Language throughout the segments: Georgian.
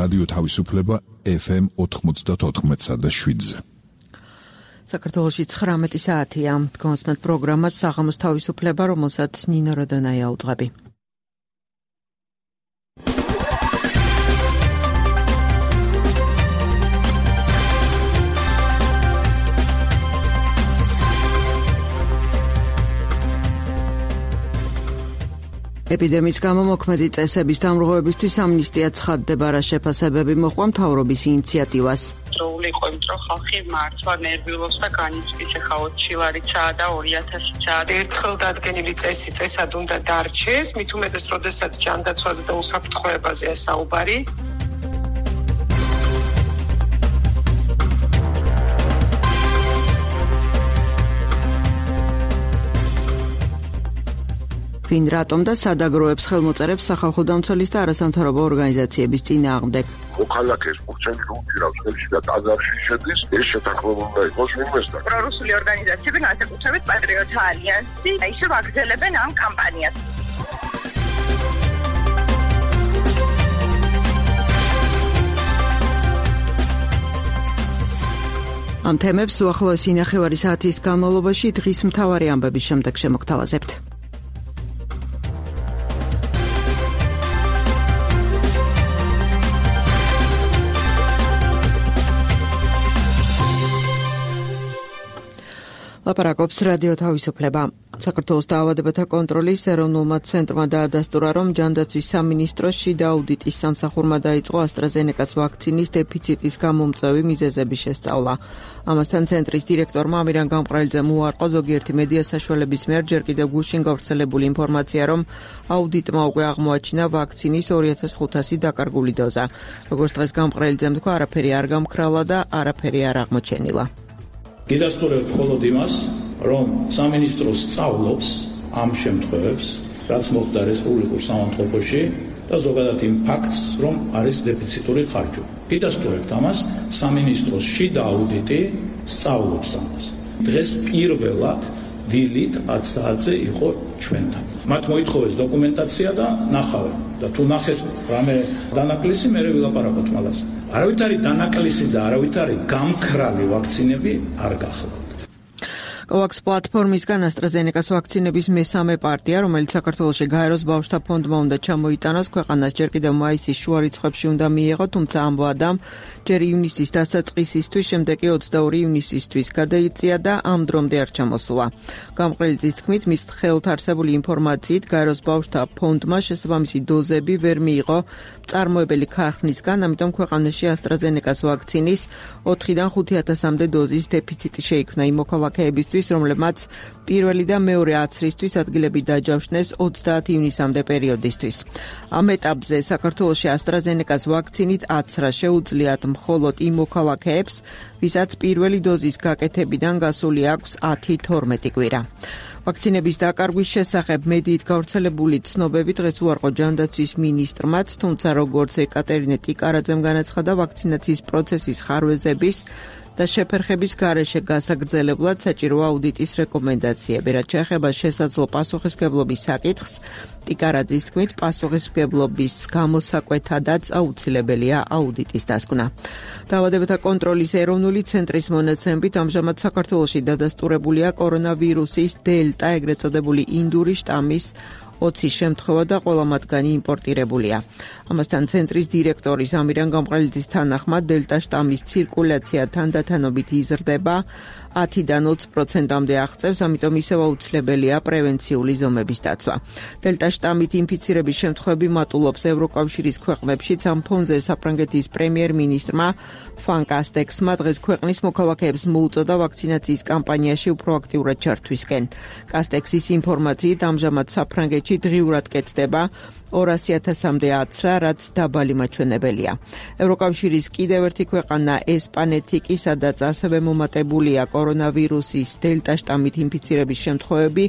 რადიო თავისუფლება FM 94.7-ზე. საქართველოში 19 საათია. კონსმეთ პროგრამას საღამოს თავისუფლება, რომელსაც ნინო როდონაია უძღვები. ეპიდემიის გამო მოქმედი წესების დამრღვევებისთვის ამნისტია ცხადდება, რა შეფასებები მოჰყვა მთავრობის ინიციატივას. დროული იყო, იმიტომ რომ ხალხი მართლა ნერვიულობს და განიცდის, ახლა 20 ლარიცაა და 2000-იცაა. ერთხელ დადგენილი წესი წესად უნდა დარჩეს, მით უმეტეს, როდესაც ჯანდაცვაზე და უსაფრთხოებაზეა საუბარი. ვინ რატომ და სადაგროებს ხელმოწერებს სახალხო დამცველის და არასამთავრობო ორგანიზაციების წინააღმდეგ. მოქალაქეს მოგცემი უჭირავს ხელში და ტაძარში შედის, ეს შეთანხმება უნდა იყოს ვინმესთან. პრორუსული ორგანიზაციები, განსაკუთრებით პატრიოტთა ალიანსი, ისევ აგრძელებენ ამ კამპანიას. ამ თემებს უახლოესი ნახევარი საათის განმავლობაში დღის მთავარი ამბების შემდეგ შემოგთავაზებთ. ლაპარაკობს რადიო თავისუფლება. საქართველოს დაავადებათა კონტროლის ეროვნულმა ცენტრმა დაადასტურა, რომ ჯანდაცვის სამინისტროს შიდა აუდიტის სამსახურმა დაიწყო AstraZeneca-ს ვაქცინის დეფიციტის გამომწვევი მიზეზების შესწავლა. ამასთან ცენტრის დირექტორმა ამირან გამყრელიძემ უარყო ზოგიერთი მედია საშუალების მიერ ჯერ კიდევ გუშინ გავრცელებული ინფორმაცია, რომ აუდიტმა უკვე აღმოაჩინა ვაქცინის 2500 დაკარგული დოზა. როგორც დღეს გამყრელიძემ თქვა, არაფერი არ გამქრალა და არაფერი არ აღმოჩენილა. გიდასტურებთ მხოლოდ იმას, რომ სამინისტრო სწავლობს ამ შემთხვევებს, რაც მოხდა რესპუბლიკურ სამართლობაში და ზოგადად იმ ფაქტს, რომ არის დეფიციტური ხარჯვა. გიდასტურებთ ამას, სამინისტროს შიდა აუდიტი სწავლობს ამას. დღეს პირველად დილით 10 საათზე იყო ჩვენთან. მათ მოითხოვეს დოკუმენტაცია და ნახავენ. და თუ ნახეს რამე დანაკლისი, მე ვილაპარაკოთ მაგას. არავით არის დანაკლისი და არავით არის გამქრალი ვაქცინები არ გახლავთ. COVAX პლატფორმისგან AstraZeneca-ს ვაქცინების მესამე პარტია, რომელიც საქართველოში გაეროს ბავშვთა ფონდმა უნდა ჩამოიტანოს, ქვეყანას ჯერ კიდევ მაისის შუა რიცხვებში უნდა მიეღო, თუმცა ამ ვადამ ჯერ ივნისის დასაწყისისთვის, შემდეგ კი 22 ივნისისთვის გადაიწია და ამ დრომდე არ ჩამოსულა. გამყრელიძის თქმით, მის ხელთ არსებული ინფორმაციით გაეროს ბავშვთა ფონდმა შესაბამისი დოზები ვერ მიიღო მწარმოებელი ქარხნისგან, ამიტომ ქვეყანაში AstraZeneca-ს ვაქცინის 4-დან 5000-მდე დოზის დეფიციტი შეიქმნა იმ მოქალაქეებისთვის, რომლებმაც პირველი და მეორე აცრისთვის ადგილები დაჯავშნეს 30 ივნისამდე პერიოდისთვის. ამ ეტაპზე საქართველოში AstraZeneca-ს ვაქცინით აცრა შეუძლიათ მხოლოდ იმ მოქალაქეებს, ვისაც პირველი დოზის გაკეთებიდან გასული აქვს 10-12 კვირა. ვაქცინების დაკარგვის შესახებ მედიით გავრცელებული ცნობები დღეს უარყო ჯანდაცვის მინისტრმაც, თუმცა როგორც ეკატერინე ტიკარაძემ განაცხადა, ვაქცინაციის პროცესის ხარვეზების და შეფერხების გარეშე გასაგრძელებლად საჭიროა აუდიტის რეკომენდაციები. რაც შეეხება შესაძლო პასუხისმგებლობის საკითხს, ტიკარაძის თქმით, პასუხისმგებლობის გამოსაკვეთადაც აუცილებელია აუდიტის დასკვნა. დაავადებათა კონტროლის ეროვნული ცენტრის მონაცემებით, ამჟამად საქართველოში დადასტურებულია კორონავირუსის დელტა, ეგრეთ წოდებული ინდური შტამის 20 შემთხვევა და ყველა მათგანი იმპორტირებულია. ამასთან ცენტრის დირექტორის ამირან გამყრელიძის თანახმად დელტა შტამის ცირკულაცია თანდათანობით იზრდება, 10-დან 20%-მდე აღწევს, ამიტომ ისევ აუცილებელია პრევენციული ზომების დაცვა. დელტა შტამით ინფიცირების შემთხვევები მატულობს ევროკავშირის ქვეყნებშიც. ამ ფონზე საფრანგეთის პრემიერ-მინისტრმა ფან კასტექსმა დღეს ქვეყნის მოქალაქეებს მოუწოდა ვაქცინაციის კამპანიაში უფრო აქტიურად ჩართვისკენ. კასტექსის ინფორმაციით ამჟამად საფრანგეთში დღიურად კეთდება 200,000-მდე აცრა, რაც დაბალი მაჩვენებელია. ევროკავშირის კიდევ ერთი ქვეყანა ესპანეთი კი, სადაც ასევე მომატებულია კორონავირუსის დელტა შტამით ინფიცირების შემთხვევები,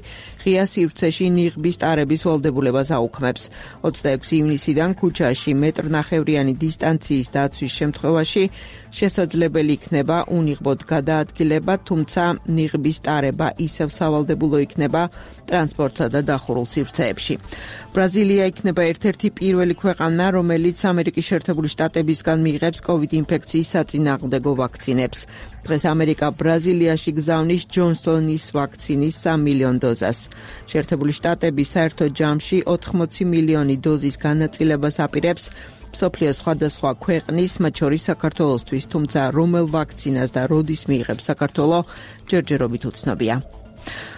ღია სივრცეში ნიღბის ტარების ვალდებულებას აუქმებს. 26 ივნისიდან ქუჩაში მეტრნახევრიანი დისტანციის დაცვის შემთხვევაში შესაძლებელი იქნება უნიღბოდ გადაადგილება, თუმცა ნიღბის ტარება ისევ სავალდებულო იქნება ტრანსპორტსა და დახურულ სივრცეებში. ბრაზილია იქნება იქნება ერთ-ერთი პირველი ქვეყანა, რომელიც ამერიკის შეერთებული შტატებისგან მიიღებს COVID ინფექციის საწინააღმდეგო ვაქცინებს. დღეს ამერიკა ბრაზილიაში გზავნის ჯონსონის ვაქცინის 3 მილიონ დოზას. შეერთებული შტატები საერთო ჯამში 80 მილიონი დოზის განაწილებას აპირებს მსოფლიოს სხვადასხვა ქვეყნის, მათ შორის საქართველოსთვის, თუმცა რომელ ვაქცინას და როდის მიიღებს საქართველო, ჯერჯერობით უცნობია.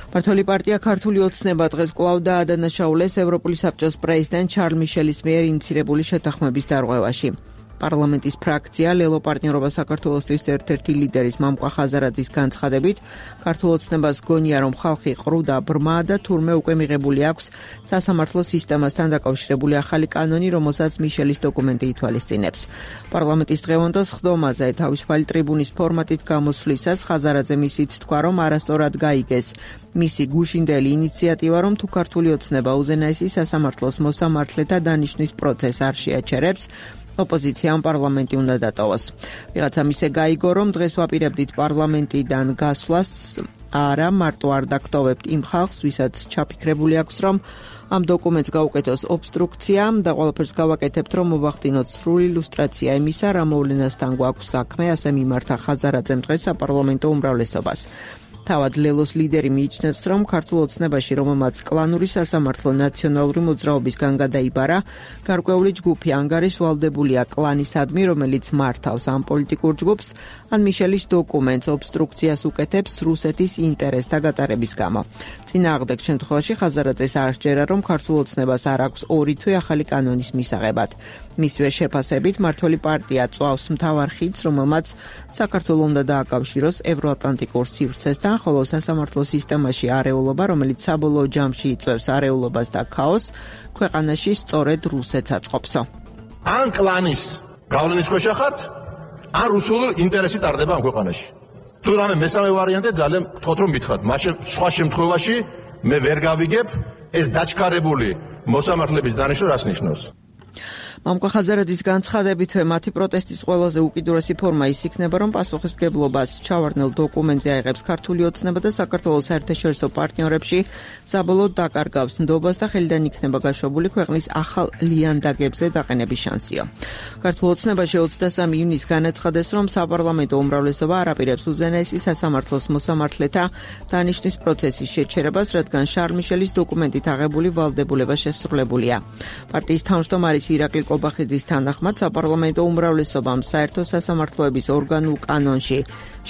მმართველი პარტია ქართული ოცნება დღეს კვლავ დაადანაშაულეს ევროპული საბჭოს პრეზიდენტ შარლ მიშელის მიერ ინიცირებული შეთანხმების დარღვევაში. პარლამენტის ფრაქცია ლელო პარტნიორობა საქართველოსთვის ერთ-ერთი ლიდერის მამყვა ხაზარაძის განცხადებით, ქართულ ოცნებას გონია, რომ ხალხი ყრუ და ბრმა და თურმე უკვე მიღებული აქვს სასამართლო სისტემასთან დაკავშირებული ახალი კანონი, რომელსაც მიშელის დოკუმენტი ითვალისწინებს. პარლამენტის დღევანდელ სხდომაზე თავისუფალი ტრიბუნის ფორმატით გამოსვლისას ხაზარაძე მისით თქვა, რომ არასწორად გაიგეს მისი გუშინდელი ინიციატივა, რომ თუ ქართული ოცნება უზენაესი სასამართლოს მოსამართლეთა დანიშვნის პროცესს არ შეაჩერებს, ოპოზიციამ პარლამენტი უნდა დატოვოს. ვიღაცამ ისე გაიგო, რომ დღეს ვაპირებდით პარლამენტიდან გასვლას, არა მარტო არ დაგტოვებთ იმ ხალხს, ვისაც ჩაფიქრებული აქვს, რომ ამ დოკუმენტს გაუკეთოს ობსტრუქცია და ყველაფერს გავაკეთებთ, რომ მოვახდინოთ სრული ილუსტრაცია იმისა, რა მოვლენასთან გვაქვს საქმე, ასე მიმართა ხაზარაძემ დღეს საპარლამენტო უმრავლესობას. თავად ლელოს ლიდერი მიიჩნევს, რომ ქართულ ოცნებაში, რომელმაც კლანური სასამართლო ნაციონალური მოძრაობისგან გადაიბარა, გარკვეული ჯგუფი ანგარის ვალდებულია კლანისადმი, რომელიც მართავს ამ პოლიტიკურ ჯგუფს, ან მიშელის დოკუმენტს ობსტრუქციას უკეთებს რუსეთის ინტერესთა გატარების გამო. წინააღმდეგ შემთხვევაში ხაზარაძეს არ სჯერა, რომ ქართულ ოცნებას არ აქვს 2 თვე ახალი კანონის მისაღებად. მისივე შეფასებით, მმართველი პარტია წვავს მთავარ ხიდს, რომელმაც საქართველო უნდა დააკავშიროს ევროატლანტიკურ სივრცესთან, ხოლო სასამართლო სისტემაში არეულობა, რომელიც საბოლოო ჯამში იწვევს არეულობას და ქაოსს, ქვეყანაში სწორედ რუსეთს აწყობსო. ან კლანის გავლენის ქვეშ ხართ, ან რუსული ინტერესი ტარდება ამ ქვეყანაში. თუ რამე მესამე ვარიანტი ძალიან გთხოვთ რომ მითხრათ, მაშინ სხვა შემთხვევაში მე ვერ გავიგებ ეს დაჩქარებული მოსამართლების დანიშვნა რას ნიშნავს. მამყვა ხაზარაძის განცხადებით, მათი პროტესტის ყველაზე უკიდურესი ფორმა ის იქნება, რომ პასუხისმგებლობას ჩავარდნილ დოკუმენტზე აიღებს ქართული ოცნება და საქართველოს საერთაშორისო პარტნიორებში საბოლოოდ დაკარგავს ნდობას და ხელიდან იქნება გაშვებული ქვეყნის ახალ ლიანდაგებზე დაყენების შანსიო. ქართულ ოცნებაში 23 ივნისს განაცხადეს, რომ საპარლამენტო უმრავლესობა არ აპირებს უზენაესი სასამართლოს მოსამართლეთა დანიშვნის პროცესის შეჩერებას, რადგან შარლ მიშელის დოკუმენტით აღებული ვალდებულება შესრულებულია. პარტიის თავმჯდომარის ირაკლი კობახიძის თანახმად საპარლამენტო უმრავლესობამ საერთო სასამართლოების ორგანულ კანონში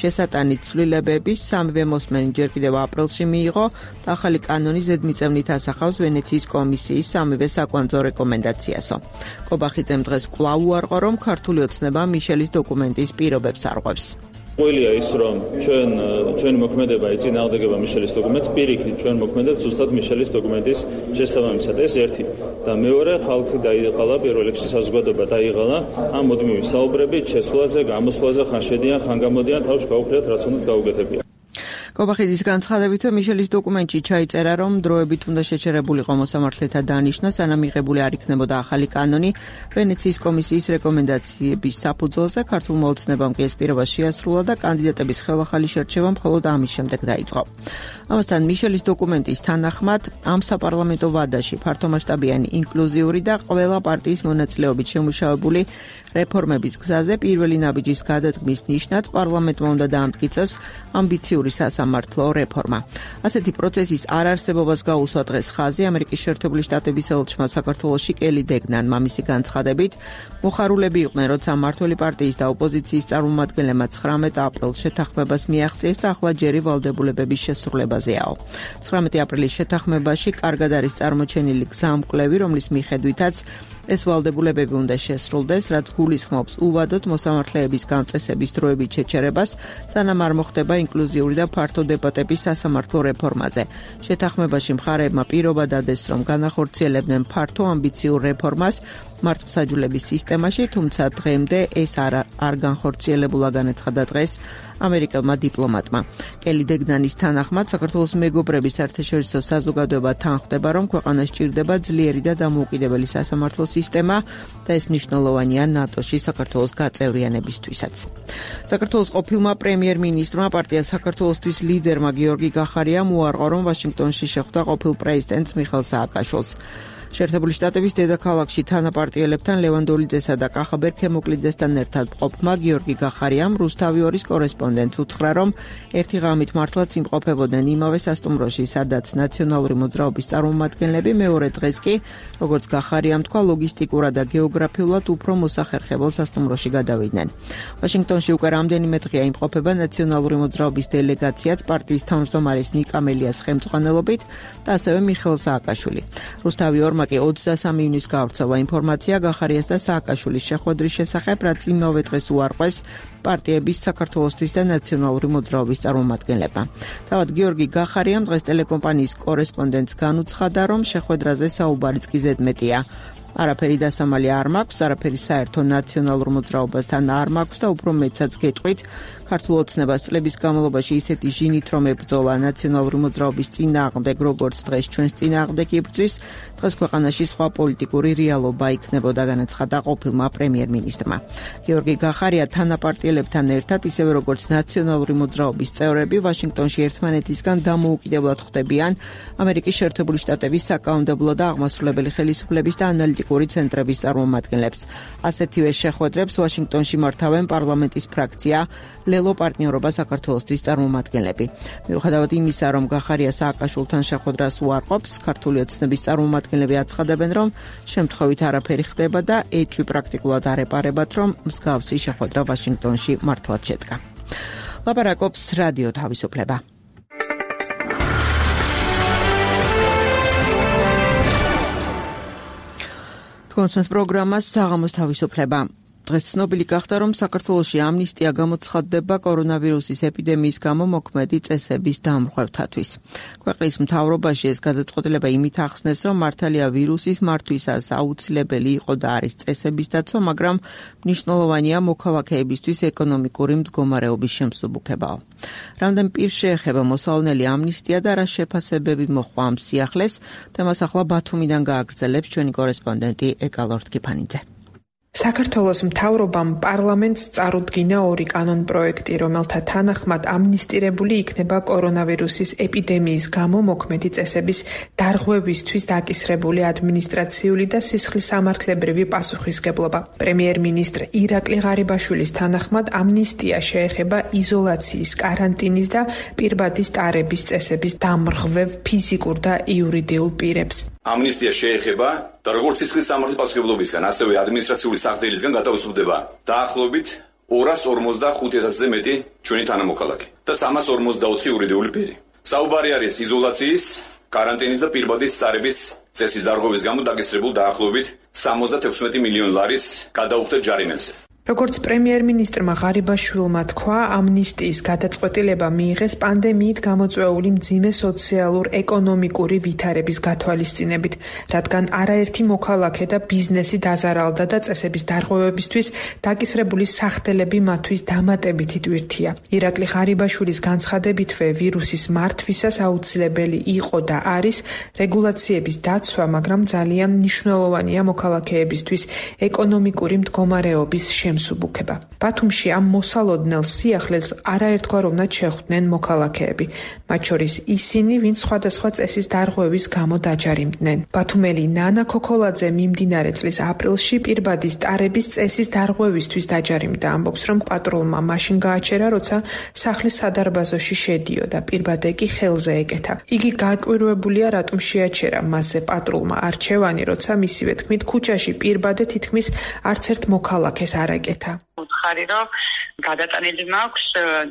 შესატანით ცვლილებების სამივე მოსმენი ჯერ კიდევ აპრილში მიიღო და ახალი კანონი ზედმიწევნით ასახავს ვენეციის კომისიის სამივე საკვანძო რეკომენდაციასო. კობახიძემ დღეს კვლავ უარყო, რომ ქართული ოცნება მიშელის დოკუმენტის პირობებს არღვევს. ყველია ის, რომ ჩვენი მოქმედება ეწინააღმდეგება მიშელის დოკუმენტს, პირიქით ჩვენ მოქმედებს ზუსტად მიშელის დოკუმენტის შესაბამისად. ეს ერთი. და მეორე, ხალხი დაიღალა, პირველ რიგში საზოგადოება დაიღალა ამ მუდმივი საუბრებით, შესვლაზე, გამოსვლაზე, ხან შედიან, ხან გამოდიან, თავში გაუქმრიათ, რაც უნდა გაუგეთებია. კობახიძის განცხადებით, მიშელის დოკუმენტში ჩაიწერა, რომ დროებით უნდა შეჩერებულიყო მოსამართლეთა დანიშვნა, სანამ მიღებული არ იქნებოდა ახალი კანონი ვენეციის კომისიის რეკომენდაციების საფუძველზე. ქართულმა ოცნებამ კი ეს პირობა შეასრულა და კანდიდატების ხელახალი შერჩევა მხოლოდ ამის შემდეგ დაიწყო. ამასთან მიშელის დოკუმენტის თანახმად ამ საპარლამენტო ვადაში ფართომასშტაბიანი ინკლუზიური და ყველა პარტიის მონაწილეობით შემუშავებული რეფორმების გზაზე პირველი ნაბიჯის გადადგმის ნიშნად პარლამენტმა უნდა დაამტკიცოს ამბიციური სასამართლო რეფორმა. ასეთი პროცესის არარსებობას გაუსვა დღეს ხაზი ამერიკის შეერთებული შტატების ელჩმა საქართველოში კელი დეგნანმა. მისი განცხადებით, მოხარულები იყვნენ, როცა მმართველი პარტიის და ოპოზიციის წარმომადგენლებმა 19 აპრილს შეთანხმებას მიაღწიეს და ახლა ჯერი ვალდებულებების შესრულებაზეაო. 19 აპრილის შეთანხმებაში კარგად არის წარმოჩენილი გზამკვლევი, რომლის მიხედვითაც ეს ვალდებულებები უნდა შესრულდეს, რაც გულისხმობს უვადოდ მოსამართლეების გამწესების დროებით შეჩერებას, სანამ არ მოხდება ინკლუზიური და ფართო დებატები სასამართლო რეფორმაზე. შეთანხმებაში მხარეებმა პირობა დადეს, რომ განახორციელებდნენ ფართო ამბიციურ რეფორმას მართლმსაჯულების სისტემაში, თუმცა დღემდე ეს არ განხორციელებულა, განაცხადა დღეს ამერიკელმა დიპლომატმა. კელი დეგნანის თანახმად, საქართველოს მეგობრების საერთაშორისო საზოგადოება თანხმდება, რომ ქვეყანას სჭირდება ძლიერი და დამოუკიდებელი სასამართლო სისტემა და ეს მნიშვნელოვანია ნატოში საქართველოს გაწევრიანებისთვისაც. საქართველოს ყოფილმა პრემიერ-მინისტრმა პარტია საქართველოსთვის ლიდერმა გიორგი გახარიამ უარყო, რომ ვაშინგტონში შეხვდა ყოფილ პრეზიდენტს მიხეილ სააკაშვილს. შეერთებული შტატების დედაქალაქში თანაპარტიელებთან ლევანდოლიძესა და კახაბერ ქემოკლიძესთან ერთად მყოფმა გიორგი გახარიამ რუსთავი 2-ის კორესპონდენტს უთხრა, რომ ერთი ღამით მართლაც იმყოფებოდნენ იმავე სასტუმროში, სადაც ნაციონალური მოძრაობის წარმომადგენლები, მეორე დღეს კი, როგორც გახარიამ თქვა, ლოგისტიკურად და გეოგრაფიულად უფრო მოსახერხებელ სასტუმროში გადავიდნენ. ვაშინგტონში უკვე რამდენიმე დღეა იმყოფება ნაციონალური მოძრაობის დელეგაციაც პარტიის თავმჯდომარის ნიკა მელიას ხელმძღვანელობით და ასევე მიხეილ სააკაშვილი. რუსთავი 2-მა კი 23 ივნისს გავრცელა ინფორმაცია გახარიას და სააკაშვილის შეხვედრის შესახებ, რაც იმავე დღეს უარყვეს პარტიების საქართველოსთვის და ნაციონალური მოძრაობის წარმომადგენლებმა. თავად გიორგი გახარიამ დღეს ტელეკომპანიის კორესპონდენტს განუცხადა, რომ შეხვედრაზე საუბარიც კი ზედმეტია. არაფერი დასამალი არ მაქვს, არაფერი საერთო ნაციონალურ მოძრაობასთან არ მაქვს და უფრო მეცაც გეტყვით, ქართულ ოცნებას წლების განმავლობაში ისეთი ჟინით რომ ებრძოლა ნაციონალური მოძრაობის წინააღმდეგ, როგორც დღეს ჩვენს წინააღმდეგ იბრძვის, დღეს ქვეყანაში სხვა პოლიტიკური რეალობა იქნებოდა, განაცხადა ყოფილმა პრემიერ-მინისტრმა. გიორგი გახარია თანაპარტიელებთან ერთად, ისევე როგორც ნაციონალური მოძრაობის წევრები, ვაშინგტონში ერთმანეთისგან დამოუკიდებლად ხვდებიან ამერიკის შეერთებული შტატების საკანონმდებლო და აღმასრულებელი ხელისუფლების და ანალიტიკური ცენტრების წარმომადგენლებს. ასეთივე შეხვედრებს ვაშინგტონში მართავენ პარლამენტის ფრაქცია ლელო პარტნიორობა საქართველოსთვის წარმომადგენლები. მიუხედავად იმისა, რომ გახარია სააკაშვილთან შეხვედრას უარყოფს, ქართული ოცნების წარმომადგენლები აცხადებენ, რომ შემთხვევით არაფერი ხდება და ეჭვი პრაქტიკულად არ ეპარებათ, რომ მსგავსი შეხვედრა ვაშინგტონში მართლაც შედგა. ლაპარაკობს რადიო თავისუფლება. კონსმეს პროგრამას საღამოს თავისუფლება. დღეს ცნობილი გახდა, რომ საქართველოში ამნისტია გამოცხადდება კორონავირუსის ეპიდემიის გამო მოქმედი წესების დამრღვევთათვის. ქვეყნის მთავრობაში ეს გადაწყვეტილება იმით ახსნეს, რომ მართალია ვირუსის მართვისას აუცილებელი იყო და არის წესების დაცვა, მაგრამ მნიშვნელოვანია მოქალაქეებისთვის ეკონომიკური მდგომარეობის შემსუბუქებაო. რამდენ პირს შეეხება მოსალონელი ამნისტია და რა შეფასებები მოჰყვა ამ სიახლეს, თემას ახლა ბათუმიდან გააგრძელებს ჩვენი კორესპონდენტი ეკალორთ კიფანიძე. საქართველოს მთავრობამ პარლამენტს წარუდგინა 2 კანონ-პროექტი, რომელთა თანახმად ამნისტირებული იქნება კორონავირუსის ეპიდემიის გამო მოქმედი წესების დარღვევისთვის დაკისრებული ადმინისტრაციული და სისხლისამართლებრივი პასუხისგებლობა. პრემიერ-მინისტრ ირაკლი ღარიბაშვილის თანახმად ამნისტია შეეხება იზოლაციის, კარანტინის და პირბადის ტარების წესების დამრღვევ ფიზიკურ და იურიდიულ პირებს. ამნისტია შეეხება და როგორც სისხლისამართლის პასუხისმგებლობისგან, ასევე ადმინისტრაციული სახდელისგან გადაუსწრდება დაახლოებით 245,000-ზე მეტი ჩვენი თანამოქალაქე და 344 იურიდიული პირი. საუბარი არის იზოლაციის, კარანტინის და პირბადის ტარების წესის დარღვევის გამო დაკისრებულ დაახლოებით 76 მილიონი ლარის გადაუხდა ჯარიმებზე. როგორც პრემიერ-მინისტრმა ღარიბაშვილმა თქვა, ამნისტიის გადაწყვეტილება მიიღეს პანდემიით გამოწვეული მძიმე სოციალურ-ეკონომიკური ვითარების გათვალისწინებით, რადგან არაერთი მოქალაქე და ბიზნესი დაზარალდა და წესების დარღვევებისთვის დაკისრებული სახდელები მათთვის დამატებითი ტვირთია. ირაკლი ღარიბაშვილის განცხადებითვე ვირუსის მართვისას აუცილებელი იყო და არის რეგულაციების დაცვა, მაგრამ ძალიან მნიშვნელოვანია მოქალაქეებისთვის ეკონომიკური მდგომარეობის შემსუბუქება. ბათუმში ამ მოსალოდნელ სიახლეს არაერთგვაროვნად შეხვდნენ მოქალაქეები, მათ შორის ისინი, ვინც სხვადასხვა წესის დარღვევის გამო დაჯარიმდნენ. ბათუმელი ნანა ქოქოლაძე მიმდინარე წლის აპრილში პირბადის ტარების წესის დარღვევისთვის დაჯარიმდა. ამბობს, რომ პატრულმა მაშინ გააჩერა, როცა სახლის სადარბაზოში შედიოდა, პირბადე კი ხელზე ეკეთა. იგი გაკვირვებულია, რატომ შეაჩერა მასზე პატრულმა არჩევანი, როცა მისივე თქმით ქუჩაში პირბადე თითქმის არც ერთ მოქალაქეს არ ეკეთა. უთხარი რომ გადატანილი მაქვს,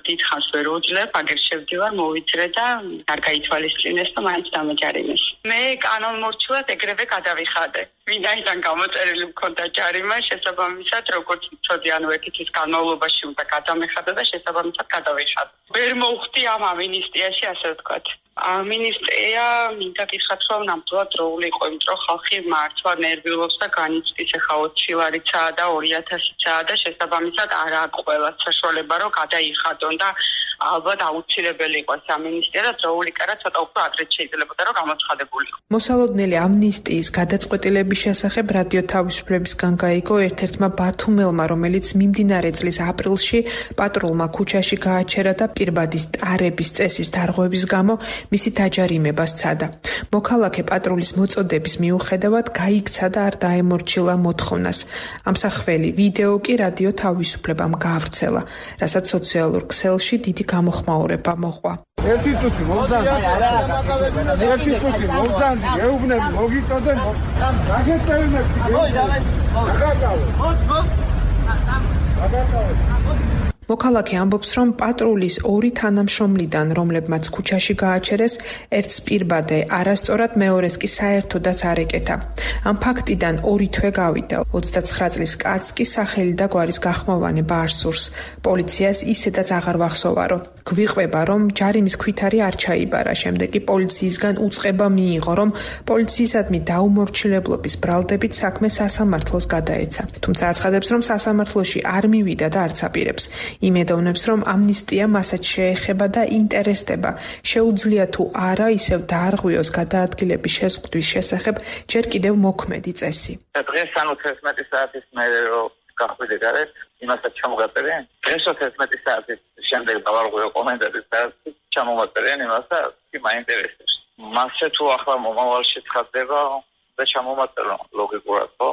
დიდხანს ვერ უძლებ, აგერ შევდივარ, მოვიწრე და არ გაითვალისწინეს და მაინც დამაჯარიმეს. მე კანონმორჩილად ეგრევე გადავიხადე. ვინაიდან გამოწერილი მქონდა ჯარიმა, შესაბამისად, როგორც ვიცოდი, ანუ ეკითხის განმავლობაში უნდა გადამეხადე და შესაბამისად გადავიხადე. ვერ მოვხდი ამ ამინისტიაში, ასე ვთქვათ. ამინისტრია მინდა გითხრათ, რომ ნამდვილად დროული იყო, იმიტომ რომ ხალხი მართლა ნერვიულობს და განიცდის, ეხა 20 ლარიცაა და 2000-იცაა და შესაბამისად არ აქვს ყველა საშუალება, რომ გადაიხადონ და ალბათ აუცილებელი იყო სამინისტრო და დროული კარა ცოტა უფრო ადრე შეიძლებოდა რომ გამოცხადებულიყო. მოსალოდნელი ამნისტიის გადაწყვეტილების შესახებ რადიო თავისუფლებისგან გაიგო ერთ-ერთმა ბათუმელმა, რომელიც მიმდინარე წლის აპრილში პატრულმა ქუჩაში გააჩერა და პირბადის ტარების წესის დარღვევის გამო მისი დაჯარიმება სცადა. მოქალაქე პატრულის მოწოდების მიუხედავად გაიქცა და არ დაემორჩილა მოთხოვნას. ამსახველი ვიდეო კი რადიო თავისუფლებამ გაავრცელა, რასაც სოციალურ ქსელში დიდი გამოხმაურება მოჰყვა. ერთი წუთი მოგძანდი, ეუბნები, მოგიწოდენ, გაგეწევნებდი. მოქალაქე ამბობს, რომ პატრულის 2 თანამშრომლიდან, რომლებმაც ქუჩაში გააჩერეს, ერთს პირბადე არასწორად, მეორეს კი საერთოდაც არ ეკეთა. ამ ფაქტიდან 2 თვე გავიდა. 29 წლის კაცს კი სახელი და გვარის გახმოვანება არ სურს. პოლიციას ისედაც აღარ ვახსოვა, რომ გვიყვება, რომ ჯარიმის ქვითარი არ ჩაიბარა. შემდეგ კი პოლიციისგან უწყება მიიღო, რომ პოლიციისადმი დაუმორჩილებლობის ბრალდებით საქმე სასამართლოს გადაეცა. თუმცა აცხადებს, რომ სასამართლოში არ მივიდა და არც აპირებს. იმედოვნებს, რომ ამნისტია მასაც შეეხება და ინტერესდება. შეუძლია თუ არა ისევ დაარღვიოს გადაადგილების შეზღუდვის შესახებ ჯერ კიდევ მოქმედი წესი. დღეს 11 საათის მერე რომ გახვიდე გარეთ, იმასაც ჩამოგაწერენ. დღეს 11 საათის შემდეგ დავარღვიო კომენტარის და ჩამომაწერენ იმას და მაინტერესებს. მასე თუ ახლა მომავალში ცხადდება და ჩამომაწერო ლოგიკურად, ხო?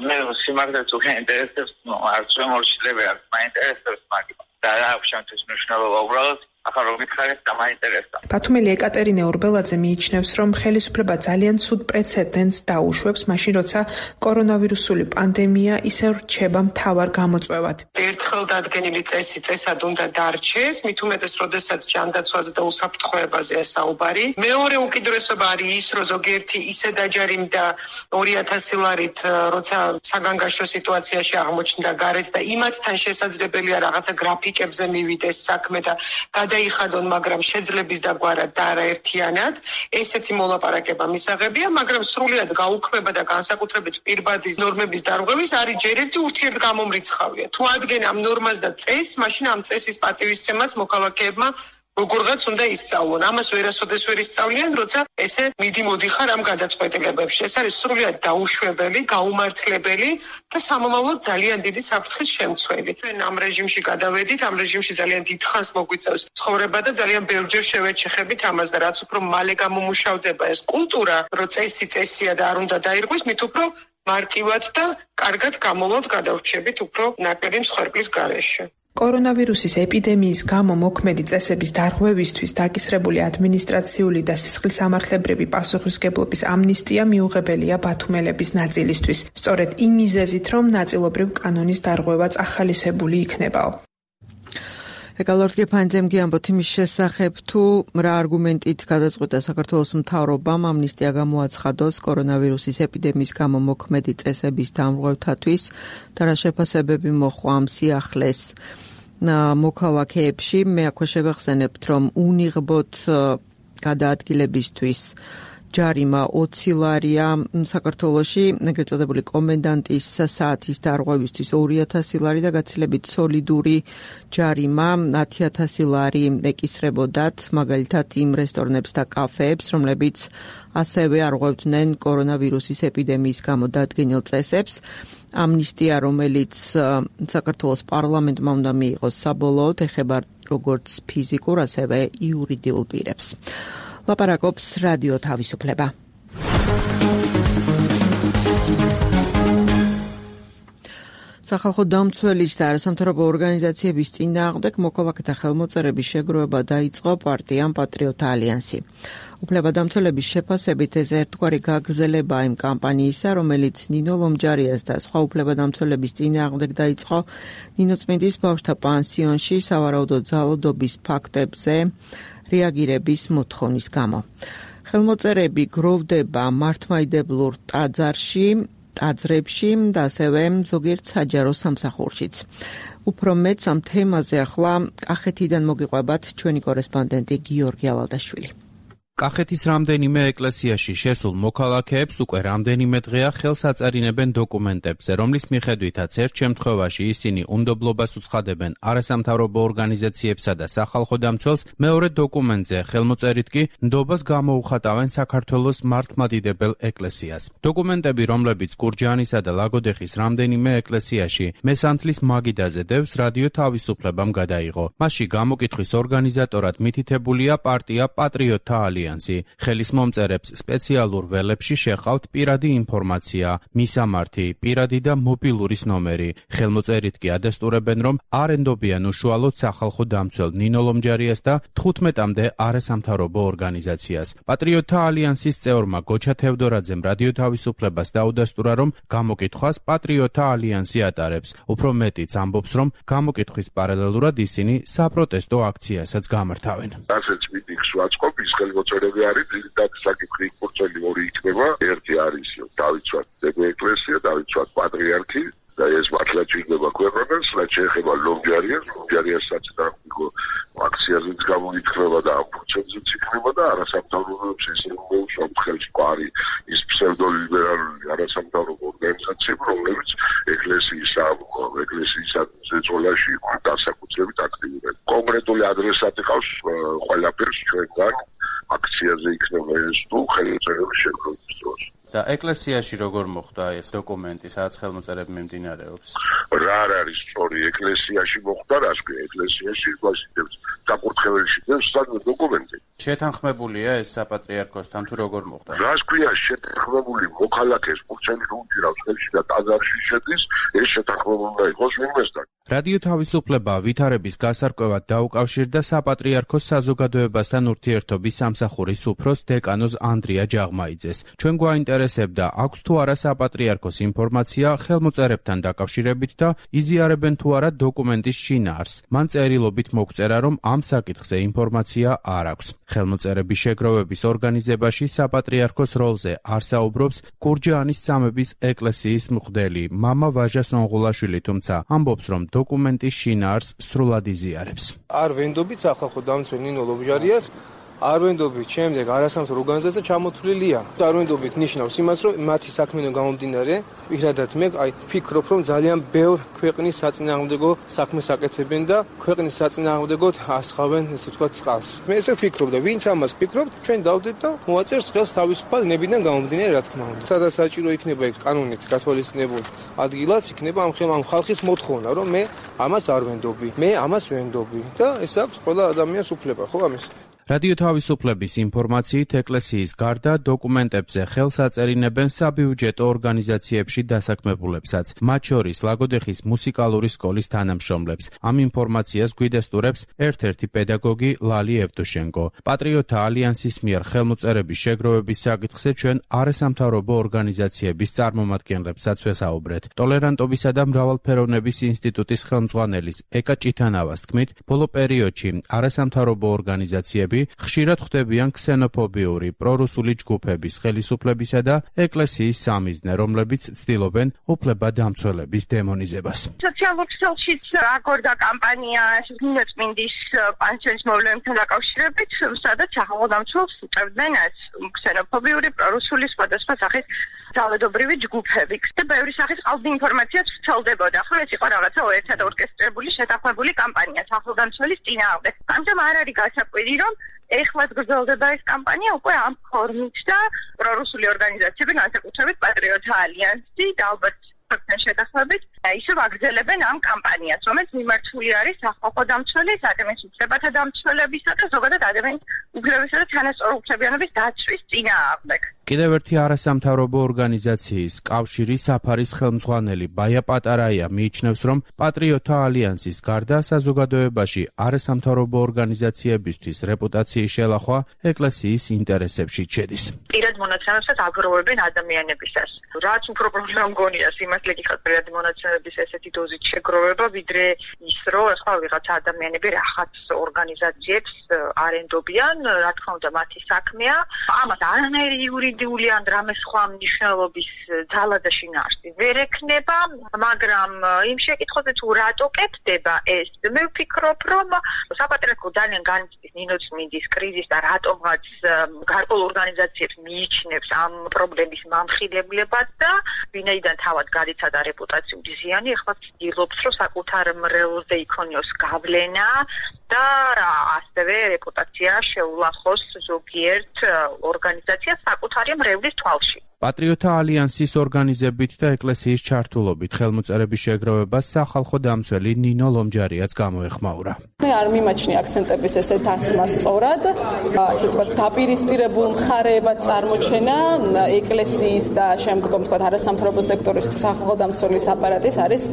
მე სიმართლე თუ გაინტერესებს, არც შემორჩილები არც მაინტერესებს მაგით. და რა აქვს შემთხვევით მნიშვნელობა უბრალოდ ახლა რომ მითხარით და მაინტერესდა. ბათუმელი ეკატერინე ორბელაძე მიიჩნევს, რომ ხელისუფლება ძალიან ცუდ პრეცედენტს დაუშვებს, მაშინ როცა კორონავირუსული პანდემია ისევ რჩება მთავარ გამოწვევად. ერთხელ დადგენილი წესი წესად უნდა დარჩეს, მით უმეტეს, როდესაც ჯანდაცვაზე და უსაფრთხოებაზეა საუბარი. მეორე უკიდურესობა არის ის, რომ ზოგიერთი ისე დაჯარიმდა 2000 ლარით, როცა საგანგაშო სიტუაციაში აღმოჩნდა გარეთ და იმათთან შესაძლებელია რაღაცა გრაფიკებზე მივიდეს საქმე და დაიხადონ, მაგრამ შეძლების დაგვარად და არაერთიანად, ესეთი მოლაპარაკება მისაღებია, მაგრამ სრულად გაუქმება და განსაკუთრებით პირბადის ნორმების დარღვევის არის ჯერ ერთი ურთიერთგამომრიცხავია. თუ ადგენენ ამ ნორმას და წესს, მაშინ ამ წესის პატივისცემაც მოქალაქეებმა როგორღაც უნდა ისწავლონ. ამას ვერასოდეს ვერ ისწავლიან, როცა ესე მიდი-მოდიხარ ამ გადაწყვეტილებებში. ეს არის სრულად დაუშვებელი, გაუმართლებელი და სამომავლოდ ძალიან დიდი საფრთხის შემცველი. ჩვენ ამ რეჟიმში გადავედით, ამ რეჟიმში ძალიან დიდხანს მოგვიწევს ცხოვრება და ძალიან ბევრჯერ შევეჩეხებით ამას და რაც უფრო მალე გამომუშავდება ეს კულტურა, რომ წესია და არ უნდა დაირღვეს, მით უფრო მარტივად და კარგად გამოვავთ გადავრჩებით უფრო ნაკლები მსხვერპლის გარეშე. კორონავირუსის ეპიდემიის გამო მოქმედი წესების დარღვევისთვის დაკისრებული ადმინისტრაციული და სისხლისამართლებრივი პასუხისმგებლობის ამნისტია მიუღებელია ბათუმელების ნაწილისთვის, სწორედ იმ მიზეზით, რომ ნაწილობრივ კანონის დარღვევაც ახალისებული იქნებაო. ეკალორტკი ფანძემგი ამბობთ იმის შესახებ, თუ რა არგუმენტით გადაწყვიტა საქართველოს მთავრობამ ამნისტია გამოაცხადოს კორონავირუსის ეპიდემიის გამო მოქმედი წესების დამრღვევთათვის და რა შეფასებები მოჰყვა ამ სიახლეს მოქალაქეებში. მე აქვე შევახსენებთ, რომ უნიღბოთ გადაადგილებისთვის ჯარიმა 20 ლარია საქართველოში, ეგრეთ წოდებული კომენდანტის საათის დარღვევისთვის 2000 ლარი და გაცილებით სოლიდური ჯარიმა 10000 ლარი ეკისრებოდათ, მაგალითად იმ რესტორნებს და კაფეებს, რომლებიც ასევე არღვევდნენ კორონავირუსის ეპიდემიის გამო დადგენილ წესებს. ამნისტია, რომელიც საქართველოს პარლამენტმა უნდა მიიღოს საბოლოოდ, ეხება როგორც ფიზიკურ, ასევე იურიდიულ პირებს. ლაპარაკობს რადიო თავისუფლება. სახალხო დამცველის და არასამთავრობო ორგანიზაციების წინააღმდეგ მოქალაქეთა ხელმოწერების შეგროვება დაიწყო პარტიამ პატრიოტთა ალიანსი. უფლებადამცველების შეფასებით ეს ერთგვარი გაგრძელება იმ კამპანიისა, რომელიც ნინო ლომჯარიას და სხვა უფლებადამცველების წინააღმდეგ დაიწყო ნინოწმინდის ბავშვთა პანსიონში სავარაუდო ძალადობის ფაქტებზე რეაგირების მოთხოვნის გამო. ხელმოწერები გროვდება მართლმადიდებლურ ტაძრებში და ასევე ზოგიერთ საჯარო სამსახურშიც. უფრო მეც ამ თემაზე ახლა კახეთიდან მოგიყვებათ ჩვენი კორესპონდენტი გიორგი ალალდაშვილი. კახეთის რამდენიმე ეკლესიაში შესულ მოქალაქეებს უკვე რამდენიმე დღეა ხელს აწარინებენ დოკუმენტებზე, რომლის მიხედვითაც ერთ შემთხვევაში ისინი უნდობლობას უცხადებენ არასამთავრობო ორგანიზაციებსა და სახალხო დამცველს, მეორე დოკუმენტზე ხელმოწერით კი ნდობას გამოუხატავენ საქართველოს მართლმადიდებელ ეკლესიას. დოკუმენტები, რომლებიც გურჯაანისა და ლაგოდეხის რამდენიმე ეკლესიაში მესანთლის მაგიდაზე დევს, რადიო თავისუფლებამ გადაიღო. მასში გამოკითხვის ორგანიზატორად მითითებულია პარტია პატრიოტთა ალიანსი. ალიანსი. ხელის მომწერებს სპეციალურ ველებში შეჰყავთ პირადი ინფორმაცია, მისამართი, პირადი და მობილურის ნომერი. ხელმოწერით კი ადასტურებენ, რომ არ ენდობიან უშუალოდ სახალხო დამცველ ნინო ლომჯარიას და 15-მდე არასამთავრობო ორგანიზაციას. პატრიოტთა ალიანსის წევრმა გოჩა თევდორაძემ რადიო თავისუფლებას დაუდასტურა, რომ გამოკითხვას პატრიოტთა ალიანსი ატარებს. უფრო მეტიც ამბობს, რომ გამოკითხვის პარალელურად ისინი საპროტესტო აქციასაც გამართავენ. ასეც მიტინგს ვაწყობ, ის ხელმოწერები არის, ძირითადი საკითხი იქ ორი იქნება. ერთი არის დავიცვათ ეკლესია, დავიცვათ პატრიარქი და ეს მართლა ჭირდება ქვეყანას, რაც შეეხება ლომჯარიასაც და აქციაზეც გამოიქნება და ამ პროცესზეც იქნება და არასამთავრობოებს ისინი მოუშვათ ხელში ყარი ის ფსევდოლიბერალური არასამთავრობო ორგანიზაციები, რომლებიც ეკლესიის ზეწოლაში განსაკუთრებით აქტიურია. კონკრეტული ადრესატი ყავს ყველაფერს ჩვენგან აქციაზე იქნება ეს თუ ხელმოწერების შეგროვების დროს. და ეკლესიაში როგორ მოხდა ეს დოკუმენტი, სადაც ხელმოწერები მიმდინარეობს? რა არის სწორი ეკლესიაში მოხდა, რას ქვია ეკლესიაში გვასიტებს საკურთხეველში დევს სადმე დოკუმენტი. შეთანხმებულია ეს საპატრიარქოსთან თუ როგორ მოხდა? რას ქვია შეთანხმებული მოქალაქეს პურჩელი რუნჯირავს ხელში და ტაძარში შედის, ეს შეთანხმებული უნდა იყოს ვინმესთან. რადიო თავისუფლება ვითარების გასარკვევად დაუკავშირდა საპატრიარქოს საზოგადოებასთან ურთიერთობის სამსახურის უფროს დეკანოზ ანდრია ჯაღმაიძეს. ჩვენ გვაინტერესებდა, აქვს თუ არა საპატრიარქოს ინფორმაცია ხელმოწერებთან დაკავშირებით და იზიარებენ თუ არა დოკუმენტის შინაარსს. მან წერილობით მოგწერა, რომ ამ საკითხზე ინფორმაცია არ აქვს. ხელმოწერების შეგროვების ორგანიზებაში საპატრიარქოს როლზე არ საუბრობს კურჯაანის სამების ეკლესიის მღვდელი მამა ვაჟა სონღულაშვილი, თუმცა ამბობს, რომ დოკუმენტის შინაარსს სრულად იზიარებს. არ ვენდობით სახალხო დამცველ ნინო ლომჯარიას, არ ვენდობით შემდეგ არასამთავრობო ორგანიზაცია ჩამოთვლილია. არ ვენდობით ნიშნავს იმას, რომ მათი საქმიდან გამომდინარე, პირადად მე ვფიქრობ, რომ ძალიან ბევრ ქვეყნის საწინააღმდეგო საქმეს აკეთებენ და ქვეყნის საწინააღმდეგოდ ასხავენ, ესე ვთქვათ, წყალს. მე ესე ვფიქრობ და ვინც ამას ფიქრობთ, ჩვენ დავდეთ და მოაწერს ხელს თავისუფალ ნებიდან გამომდინარე, რა თქმა უნდა. სადაც საჭირო იქნება ეს კანონით გათვალისწინებულ ადგილას იქნება ამ ხალხის მოთხოვნა, რომ მე ამას არ ვენდობი, მე ამას ვენდობი და ეს აქვს ყველა ადამიანს უფლება, ხო ამის? რადიო თავისუფლების ინფორმაციით ეკლესიის გარდა დოკუმენტებზე ხელს აწერინებენ საბიუჯეტო ორგანიზაციებში დასაქმებულებსაც, მათ შორის ლაგოდეხის მუსიკალური სკოლის თანამშრომლებს. ამ ინფორმაციას გვიდასტურებს ერთ-ერთი პედაგოგი ლალი ევტუშენკო. პატრიოტთა ალიანსის მიერ ხელმოწერების შეგროვების საკითხზე ჩვენ არასამთავრობო ორგანიზაციების წარმომადგენლებსაც ვესაუბრეთ. ტოლერანტობისა და მრავალფეროვნების ინსტიტუტის ხელმძღვანელის ეკა ჭითანავას თქმით, ბოლო პერიოდში არასამთავრობო ორგანიზაციები ხშირად ხვდებიან ქსენოფობიური პრორუსული ჯგუფების ხელისუფლებისა და ეკლესიის სამიზნე, რომლებიც ცდილობენ უფლებადამცველების დემონიზებას. სოციალურ ქსელშიც აგორდა კამპანია ნინოწმინდის პანსიონის მოვლენებთან დაკავშირებით, სადაც სახელმწიფოს უწევდნენ ქსენოფობიური პრორუსული სხვადასხვა სახის ძალადობრივი ჯგუფები. და ბევრი სახის ყალბი ინფორმაციაც ვრცელდებოდა. ხო, ეს იყო რაღაცა ერთად ორკესტრირებული შეთანხმებული კამპანია სახელმწიფოს წინააღმდეგ. ამიტომ არ არის გასაკვირი, რომ ეხლაც გრძელდება ეს კამპანია უკვე ამ ფორმით და პრორუსული ორგანიზაციები, განსაკუთრებით პატრიოტთა ალიანსი და ალბათ ფაქტთან შეთანხმებით, ისევ აგრძელებენ ამ კამპანიას, რომელიც მიმართული არის სახალხო დამცველის, ადამიანის უფლებათა დამცველებისა და ზოგადად ადამიანის უფლებისა და თანასწორუფლებიანობის დაცვის წინააღმდეგ. კიდევ ერთი არასამთავრობო ორგანიზაციის კავშირი საფარის ხელმძღვანელი ბაია პატარაია მიიჩნევს, რომ პატრიოტთა ალიანსის გარდა საზოგადოებაში არასამთავრობო ორგანიზაციებისთვის რეპუტაციის შელახვა ეკლესიის ინტერესებში შედის. პირად მონაცემებსაც აგროვებენ ადამიანებისას. რაც უფრო პრობლემა მგონია იმას ლეგიტიმად პირად მონაცემების ესეთი დოზით შეგროვება, ვიდრე ის, რომ ახლა ვიღაცა ადამიანები რაღაც ორგანიზაციებს არენდობიან, რა თქმა უნდა მათი საქმეა. ამას არანაირი იურიდიული ან რამე სხვა მნიშვნელობის ძალა და შინაარსი ვერ ექნება, მაგრამ იმ შეკითხვაზე თუ რატო კეთდება ეს, მე ვფიქრობ, რომ საპატრიარქო ძალიან განიცდის ნინოწმინდის კრიზისს და რატომღაც გარკვეულ ორგანიზაციებს მიიჩნევს ამ პრობლემის მამხილებლებას და ვინაიდან თავად გარიცადა რეპუტაციული ზიანი, ეხლა ცდილობს, რომ საკუთარ მრევლზე იქონიოს გავლენა და ასევე რეპუტაცია შეულახოს ზოგიერთ ორგანიზაციას საკუთარი მრევლის თვალში. პატრიოტთა ალიანსის ორგანიზებით და ეკლესიის ჩართულობით ხელმოწერების შეგროვებას სახალხო დამცველი ნინო ლომჯარიაც გამოეხმაურა. მე არ მიმაჩნია აქცენტების ესეთ ასმა სწორად, ასე ვთქვათ, დაპირისპირებულ მხარეებად წარმოჩენა ეკლესიის და შემდგომ ვთქვათ არასამთავრობო სექტორის თუ სახალხო დამცველის აპარატის არის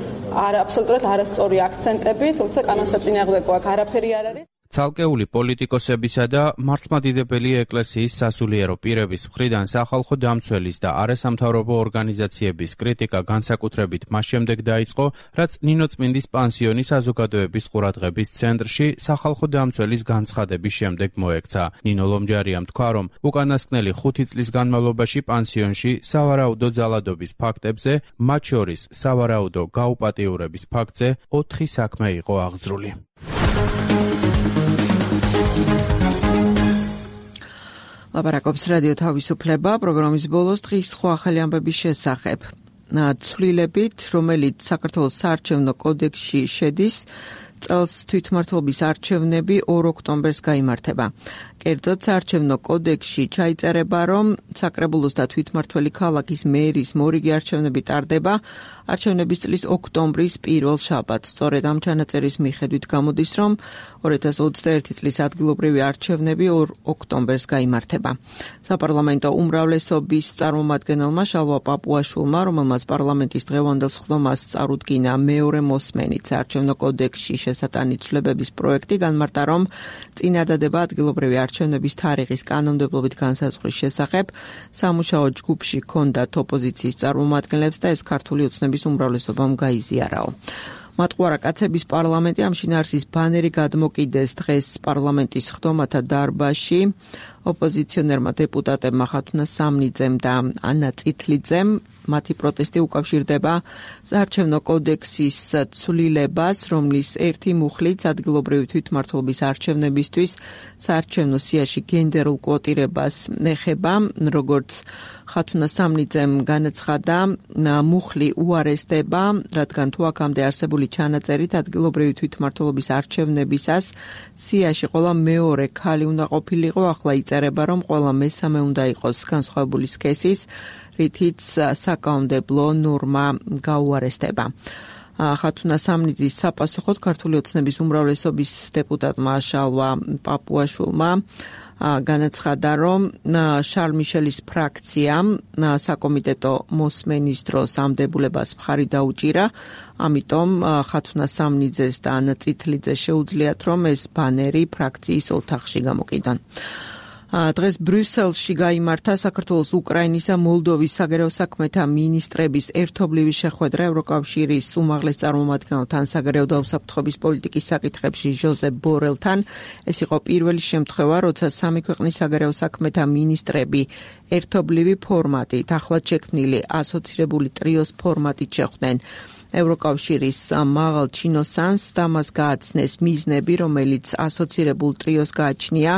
აბსოლუტურად არასწორი აქცენტები, თუმცა კანონსაწინააღმდეგო აქ არაფერი არ არის. ცალკეული პოლიტიკოსებისა და მართლმადიდებელი ეკლესიის სასულიერო პირების მხრიდან სახალხო დამცველის და არასამთავრობო ორგანიზაციების კრიტიკა განსაკუთრებით მას შემდეგ დაიწყო, რაც ნინო წმინდის პანსიონი საზოგადოების ყურადღების ცენტრში სახალხო დამცველის განცხადების შემდეგ მოექცა. ნინო ლომჯარიამ თქვა, რომ უკანასკნელი 5 წლის განმავლობაში პანსიონში სავარაუდო ძალადობის ფაქტებზე, მათ შორის სავარაუდო გაუპატიურების ფაქტზე 4 საქმე იყო აღძრული. ლაპარაკობს რადიო თავისუფლება, პროგრამის ბოლოს დღის სხვა ახალი ამბების შესახებ. ცვლილებით, რომელიც საქართველოს საარჩევნო კოდექსში შედის, წელს თვითმმართველობის არჩევნები 2 ოქტომბერს გაიმართება. კერძოდ, საარჩევნო კოდექსში ჩაიწერება, რომ საკრებულოს და თვითმმართველი ქალაქის მერის მორიგი არჩევნები ტარდება არჩევნების წლის ოქტომბრის პირველ შაბათს. სწორედ ამ ჩანაწერის მიხედვით გამოდის, რომ 2021 წლის ადგილობრივი არჩევნები 2 ოქტომბერს გაიმართება. საპარლამენტო უმრავლესობის წარმომადგენელმა შალვა პაპუაშვილმა, რომელმაც პარლამენტის დღევანდელ სხდომას წარუდგინა მეორე მოსმენით საარჩევნო კოდექსში შესატანი ცვლილებების პროექტი, განმარტა, რომ წინადადება ადგილობრივი არჩევნების თარიღის კანონმდებლობით განსაზღვრის შესახებ სამუშაო ჯგუფში ჰქონდათ ოპოზიციის წარმომადგენლებს და ეს ქართული ოცნების უმრავლესობამ გაიზიარაო. მატყუარა კაცების პარლამენტი ამ შინაარსის ბანერი გადმოკიდეს დღეს პარლამენტის სხდომათა დარბაზში. ოპოზიციონერმა დეპუტატებმა ხათუნა სამნიძემ და ანა წითლიძემ მათი პროტესტი უკავშირდება საარჩევნო კოდექსის ცვლილებას, რომლის ერთი მუხლიც ადგილობრივი თვითმმართველობის არჩევნებისთვის საარჩევნო სიაში გენდერულ კვოტირებას ეხება, როგორც ხათუნა სამნიძემ განაცხადა, მუხლი უარესდება, რადგან თუ აქამდე არსებული ჩანაწერით ადგილობრივი თვითმმართველობის არჩევნებისას სიაში ყველა მეორე ქალი უნდა ყოფილიყო, ახლა იწერება, რომ ყველა მესამე უნდა იყოს განსხვავებული სქესის, რითიც საკანონმდებლო ნორმა გაუარესდება. ხათუნა სამნიძის საპასუხოდ ქართული ოცნების უმრავლესობის დეპუტატმა შალვა პაპუაშვილმა განაცხადა, რომ შარლ მიშელის ფრაქციამ საკომიტეტო მოსმენის დროს ამ დებულებას მხარი დაუჭირა, ამიტომ ხათუნა სამნიძეს და ანა წითლიძეს შეუძლიათ, რომ ეს ბანერი ფრაქციის ოთახში გამოკიდონ. დღეს ბრიუსელში გაიმართა საქართველოს, უკრაინის და მოლდოვის საგარეო საქმეთა მინისტრების ერთობლივი შეხვედრა ევროკავშირის უმაღლეს წარმომადგენელთან საგარეო და უსაფრთხოების პოლიტიკის საკითხებში ჟოზეფ ბორელთან. ეს იყო პირველი შემთხვევა, როცა სამი ქვეყნის საგარეო საქმეთა მინისტრები ერთობლივი ფორმატით, ახლად შექმნილი ასოცირებული ტრიოს ფორმატით შეხვდნენ ევროკავშირის მაღალ ჩინოსანს და მას გააცნეს მიზნები, რომელიც ასოცირებულ ტრიოს გააჩნია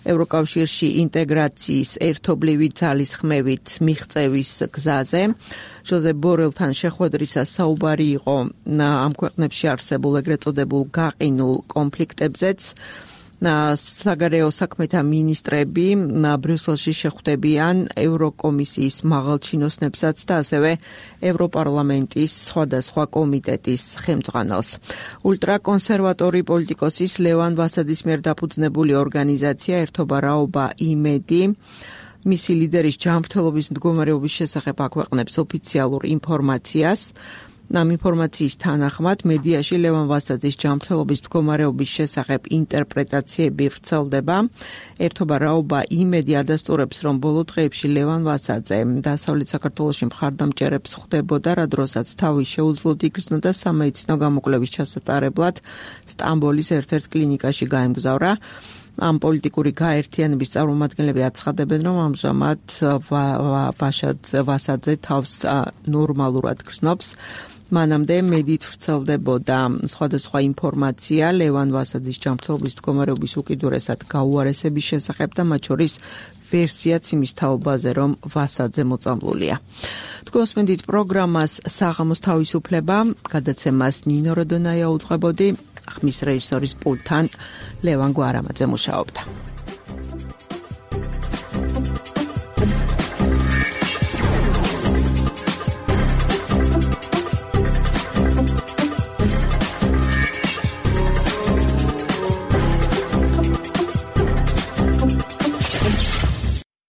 ევროკავშირში ინტეგრაციის ერთობლივი ძალისხმევით მიღწევის გზაზე. ჟოზეფ ბორელთან შეხვედრისას საუბარი იყო ამ ქვეყნებში არსებულ ეგრეთ წოდებულ გაყინულ კონფლიქტებზეც. საგარეო საქმეთა მინისტრები ბრიუსელში შეხვდებიან ევროკომისიის მაღალჩინოსნებსაც და ასევე ევროპარლამენტის სხვადასხვა კომიტეტის ხელმძღვანელს. ულტრაკონსერვატორი პოლიტიკოსის ლევან ვასაძის მიერ დაფუძნებული ორგანიზაცია ერთობა რაობა იმედი მისი ლიდერის ჯანმრთელობის მდგომარეობის შესახებ აქვეყნებს ოფიციალურ ინფორმაციას. ამ ინფორმაციის თანახმად მედიაში ლევან ვასაძის ჯანმრთელობის მდგომარეობის შესახებ ინტერპრეტაციები ვრცელდება. ერთობა რაობა იმედი ადასტურებს, რომ ბოლო დღეებში ლევან ვასაძე დასავლეთ საქართველოში მხარდამჭერებს ხვდებოდა, რა დროსაც თავი შეუძლოდ იგრძნოდა სამედიცინო გამოკვლევის ჩასატარებლად სტამბოლის ერთ-ერთ კლინიკაში გაემგზავრა. ამ პოლიტიკური გაერთიანების წარმომადგენლები აცხადებენ, რომ ამჟამად ვასაძე თავს ნორმალურად გრძნობს. მანამდე მედით ვრცელდებოდა სხვადასხვა ინფორმაცია ლევან ვასაძის ჯანმრთელობის მდგომარეობის უკიდურესად გაუარესების შესახებ და მათ შორის ვერსიაც იმის თაობაზე, რომ ვასაძე მოწამლულია. თქვენ მოსმენთ პროგრამას საღამოს თავისუფლება, გადაცემას ნინო როდონაია უძღვებოდი, ხმის რეჟისორის პულტთან ლევან გვარამაძე მუშაობდა.